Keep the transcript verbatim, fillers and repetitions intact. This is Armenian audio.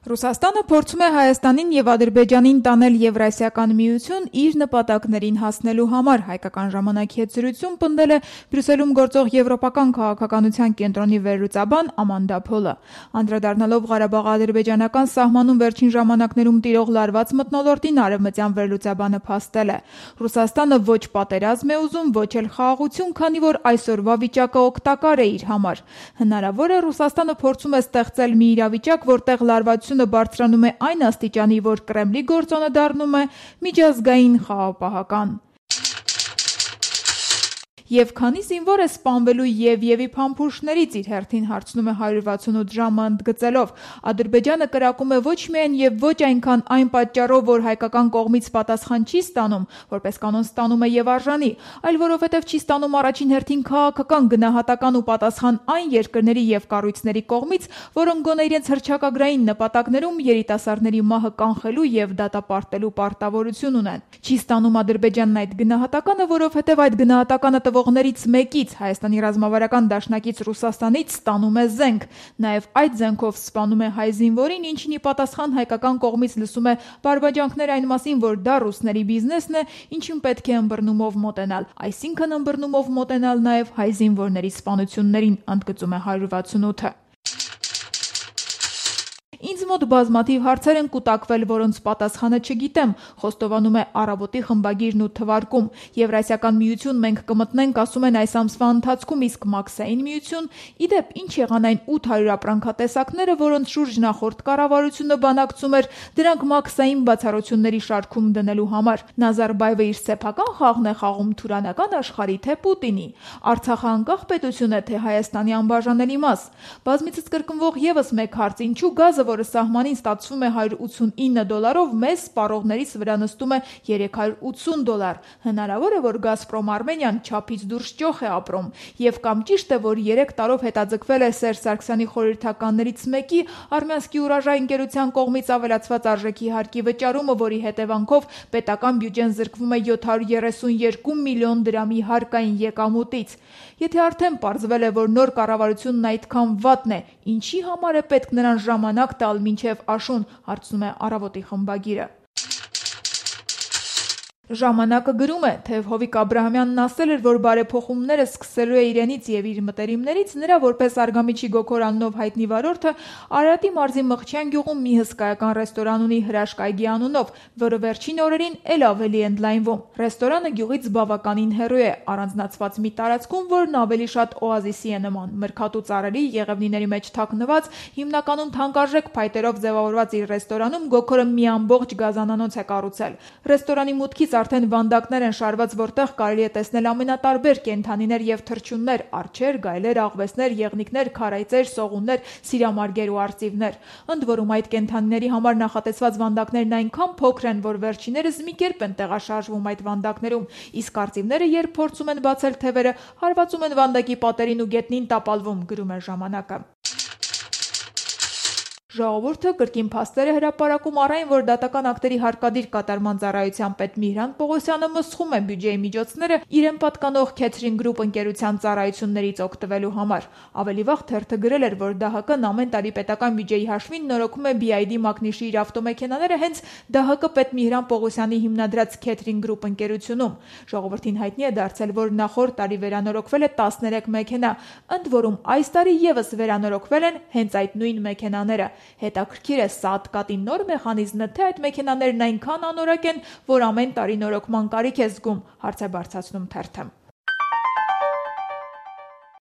Ռուսաստանը փորձում է Հայաստանին եւ Ադրբեջանին տանել Եվրասիական միություն իր նպատակներին հասնելու համար, հայկական ժամանակի հետ զրույցում պնդել է Բրյուսելում գործող եվրոպական քաղաքականության կենտրոնի վերլուծաբան Ամանդա Փոլը։ Անդրադառնալով Ղարաբաղ-ադրբեջանական սահմանում վերջին ժամանակներում տիրող լարված մթնոլորտին, արևմտյան վերլուծաբանը փաստել է. Ռուսաստանը ոչ պատերազմ է ուզում, ոչ էլ խաղաղություն, քանի որ այսօրվա վիճակը օգտակար է իր համար։ Հնարավոր է Ռուսաստանը փորձում է ստեղծել մի իրավիճակ, որտեղ լարվածությունը բարձրանում է այն աստիճանի, որ Կրեմլի գործոնը դառնում է միջազգային խաղաղապահական։ Եվ քանի զինվոր է սպանվելու Եվիևի փամփուշտներից, իր հերթին հարցնում է հարյուր վաթսունութ ժամը ընդգծելով. Ադրբեջանը կրակում է ոչ միայն եւ ոչ այնքան այն պատճառով, որ հայկական կողմից պատասխան չի ստանում, որպես կանոն ստանում է եւ արժանի, այլ որովհետեւ չի ստանում առաջին հերթին քաղաքական, գնահատական ու պատասխան այն երկրների եւ կառույցների կողմից, որոնք գոնե իրենց հռչակագրային նպատակներում երիտասարդների մահը կանխելու եւ դատապարտելու պարտավորություն ունեն։ Չի ստանում Ադրբեջանն այդ գնահատականը, որովհետեւ այդ գնահատականը տվողներից մեկից, Հայաստանի ռազմավարական դաշնակից Ռուսաստանից ստանում է զենք, նաև այդ զենքով սպանում է հայ զինվորին, ինչին ի պատասխան հայկական կողմից լսում է բարբաջանքներ այն մասին, որ դա ռուսների բիզնեսն է, ինչին պետք է ըմբռնումով մոտենալ, այսինքն ըմբռնումով մոտենալ նաև հայ զինվորների սպանություններին, ընդգծում է հարյուր վաթսունութը։ Ինձ մոտ բազմաթիվ հարցեր են կուտակվել, որոնց պատասխանը չգիտեմ, խոստովանում է Առավոտի խմբագիրն ու թվարկում։ Եվրասիական միություն մենք կմտնենք, ասում են այս ամսվա ընթացքում, իսկ Մաքսային միություն, իդեպ ինչ եղան այն ութ հարյուր ապրանքատեսակները, որոնց շուրջ նախորդ կառավարությունը բանակցում էր, դրանք Մաքսային բացառությունների շարքում դնելու համար։ Նազարբաևը իր սեփական խաղն է խաղում թուրանական աշխարհի, թե Պուտինի։ Արցախը անկախ պետություն է, թե Հայաստանի անբաժանելի մաս։ Բազմիցս կրկնվող եւս մեկ հարց, ինչու գազը, որը սահմանին ստացվում է հարյուր ութսունինը դոլարով, մեզ սպառողներից վրա նստում է երեք հարյուր ութսուն դոլար։ Հնարավոր է, որ Գազպրոմ Արմենիան չափից դուրս ճոխ է ապրում, եւ կամ ճիշտ է, որ երեք տարով հետաձգվել է Սերժ Սարգսյանի խորհրդականներից մեկի Արմյանսկի ուրաժայ ընկերության կողմից ավելացված արժեքի հարկի վճարումը, որի հետևանքով պետական բյուջեն զրկվում է յոթ հարյուր երեսունյոթ միլիոն դրամի հարկային եկամուտից։ Եթե արդեն պարզվել է, որ նոր կառավարությունն այդքան վատն է, ինչի համար է պետք նրան ժամանակ տալ մինչև աշուն, հարցնում է Առավոտի խմբագիրը։ Ժամանակը գրում է, թե Հովիկ Աբրահամյանն ասել էր, որ բարեփոխումները սկսելու է իրենից եւ իր մտերիմներից, նրա որպես Արգամիջի Գոքոր անունով հայտնի վարորդը Արարատի մարզի Մղչյան գյուղում մի հսկայական ռեստորան ունի Հրաշք այգի անունով, որը վերջին օրերին էլ ավելի ընդլայնվում։ Ռեստորանը գյուղից բավականին հեռու է, առանձնացված մի տարածքում, որն ավելի շատ օազիսի է նման, մրգատու ծառերի, եղևնիների մեջ թաքնված, հիմնականում թանկարժեք փայտերով ձևավորված իր ռեստորանում Գոքորը մի ամբողջ գազանանոց է կառուցել։ Ռեստորանի մուտքից արդեն վանդակներ են շարված, որտեղ կարելի է տեսնել ամենատարբեր կենդանիներ եւ թռչուններ՝ արջեր, գայլեր, աղվեսներ, եղնիկներ, քարայծեր, սողուններ, սիրամարգեր ու արծիվներ։ Ընդ որում այդ կենդանիների համար նախատեսված վանդակներն այնքան փոքր են, որ վերջիներս մի կերպ են տեղաշարժվում այդ վանդակներում, իսկ արծիվները, երբ փորձում են բացել թևերը, հարվածում են վանդակի պատերին ու գետնին տապալվում, գրում է ժամանակը։ Ժողովուրդը կրկին փաստեր է հրապարակում առ այն, որ դատական ակտերի հարկադիր կատարման ծառայության պետ Միհրան Պողոսյանը մսխում է բյուջեի միջոցները իրեն պատկանող Քեթրին Գրուպ ընկերության ծառայություններից օգտվելու համար։ Ավելի վաղ թերթը գրել էր, որ ԴՀԿ-ն ամեն տարի պետական բյուջեի հաշվին նորոգում է բի այ դի Մակնիշի իր ավտոմեքենաները հենց ԴՀԿ պետ Միհրան Պողոսյանի հիմնադրած Քեթրին Գրուպ ընկերությունում։ Ժողովրդին հայտնի է դարձել, որ նախորդ տարի վերանորոգվել է տասներեք մեքենա, ընդ որում այս տարի եւս վերանորոգվել են հենց այդ նույն մեքենաները։ Հետաքրքիր է, սա ատկատի նոր մեխանիզմն է, թե այդ մեքենաներն այնքան անորակ են, որ ամեն տարի նորոգման կարիք է զգում, հարց է բարձրացնում թերթը։